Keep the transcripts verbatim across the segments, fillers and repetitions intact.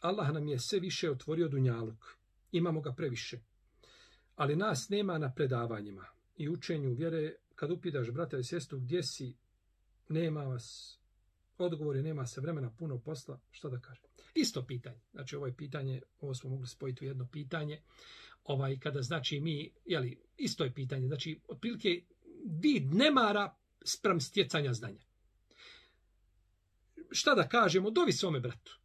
Allah nam je sve više otvorio dunjaluk. Imamo ga previše. Ali nas nema na predavanjima i učenju vjere. Kad upitaš brata i sestru gdje si, nema vas odgovore, nema se vremena, puno posla, šta da kažem. Isto pitanje. Znači ovo je pitanje, ovo smo mogli spojiti u jedno pitanje. Ovaj, kada znači mi, jeli, isto je pitanje. Znači, otprilike vid nemara spram stjecanja znanja. Šta da kažemo, dovi svome bratu.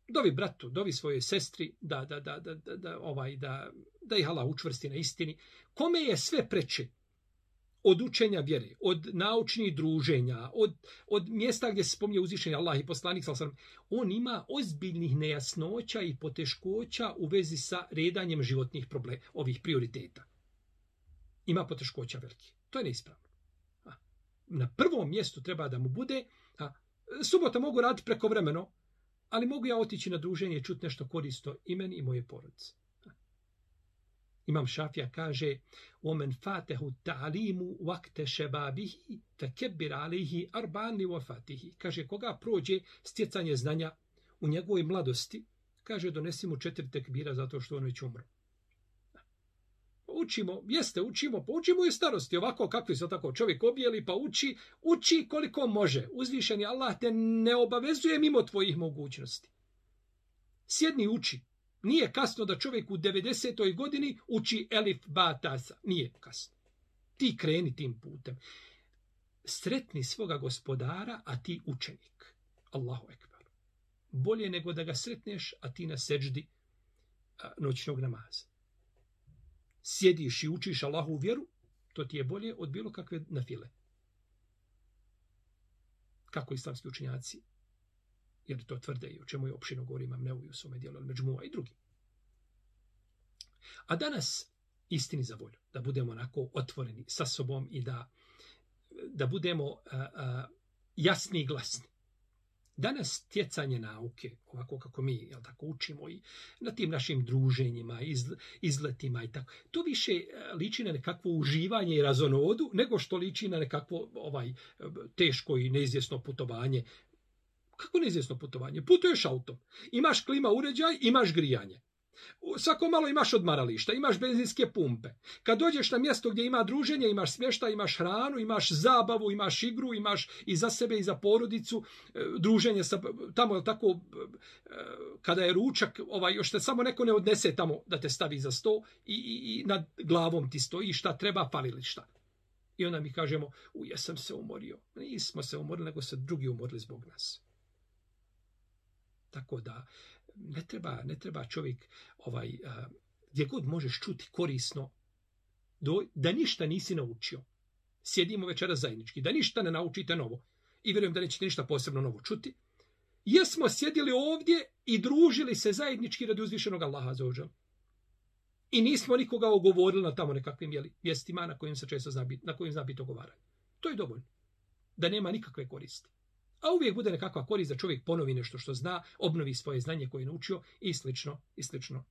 Dovi bratu, dovi svojoj sestri da, da, da, da, da, da, ovaj, da, da ih Allah učvrsti na istini. Kome je sve preče od učenja vjere, od naučnih druženja, od, od mjesta gdje se spominje uzvišenje Allah i poslanik, on ima ozbiljnih nejasnoća i poteškoća u vezi sa redanjem životnih problema, ovih prioriteta. Ima poteškoća veliki. To je neispravno. Na prvom mjestu treba da mu bude, a, subota mogu raditi prekovremeno, ali mogu ja otići na druženje i čuti nešto korisno i meni i moje porodice. Imam Šafija kaže: "Omen fatehu ta'limu waqta shababihi fakebbir alayhi arba'an li wafatihi." Kaže, koga prođe stjecanje znanja u njegovoj mladosti, kaže, donesi mu četiri tekbira zato što on već umro. Učimo, jeste, učimo, pa učimo i u starosti, ovako kakvi se tako čovjek objeli, pa uči, uči koliko može. Uzvišeni Allah te ne obavezuje mimo tvojih mogućnosti. Sjedni, uči. Nije kasno da čovjek u devedesetoj godini uči elif, ba, tasa. Nije kasno. Ti kreni tim putem. Sretni svoga gospodara, a ti učenik. Allahu ekber. Bolje nego da ga sretneš, a ti na seđdi noćnog namaza. Sjediš i učiš Allahu vjeru, to ti je bolje od bilo kakve nafile. Kako islamski učenjaci, jer to tvrde i o čemu je opširno govori Imam Nevevi u svome dijelu Al-Međmua i drugi. A danas, istini za volju, da budemo onako otvoreni sa sobom i da, da budemo a, a, jasni i glasni. Danas stjecanje nauke, ovako kako mi jel tako, učimo i na tim našim druženjima, iz, izletima i tako, to više liči na nekakvo uživanje i razonodu, nego što liči na nekakvo ovaj, teško i neizvjesno putovanje. Kako neizvjesno putovanje? Putuješ autom, imaš klima uređaj, imaš grijanje. Svako malo imaš odmarališta, imaš benzinske pumpe. Kad dođeš na mjesto gdje ima druženje, imaš smještaj, imaš hranu, imaš zabavu, imaš igru, imaš i za sebe i za porodicu, druženje sa, tamo tako, kada je ručak, ovaj, još te samo neko ne odnese tamo da te stavi za sto i, i, i nad glavom ti stoji šta treba, fali li šta. I onda mi kažemo, u jesam se umorio. Nismo se umorili, nego se drugi umorili zbog nas. Tako da ne treba, ne treba čovjek ovaj, a, gdje god možeš čuti korisno, do, da ništa nisi naučio. Sjedimo večera zajednički, da ništa ne naučite novo. I vjerujem da nećete ništa posebno novo čuti. Jesmo sjedili ovdje i družili se zajednički radi uzvišenog Allaha za ođel. I nismo nikoga ogovorili na tamo nekakvim jeli, mjestima na kojim se često zna biti, na kojim zna biti ogovaranje. To je dovoljno. Da nema nikakve koristi. A uvijek bude nekakva korist da čovjek ponovi nešto što zna, obnovi svoje znanje koje je naučio i slično, i slično